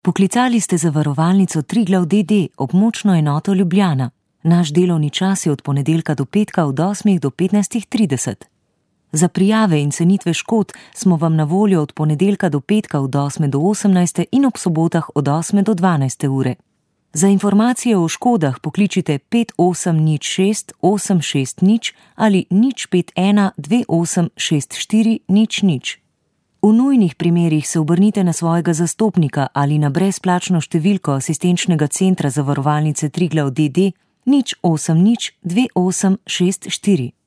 Poklicali ste zavarovalnico Triglav d.d. območno enoto Ljubljana. Naš delovni čas je od ponedeljka do petka od 8 do 15:30. Za prijave in cenitve škod smo vam na voljo od ponedeljka do petka od 8 do 18 in ob sobotah od 8 do 12 ure. Za informacije o škodah pokličite 5806 860 ali 051 2864 00. V nujnih primerih se obrnite na svojega zastopnika ali na brezplačno številko asistenčnega centra zavarovalnice Triglav d.d. 080 2864.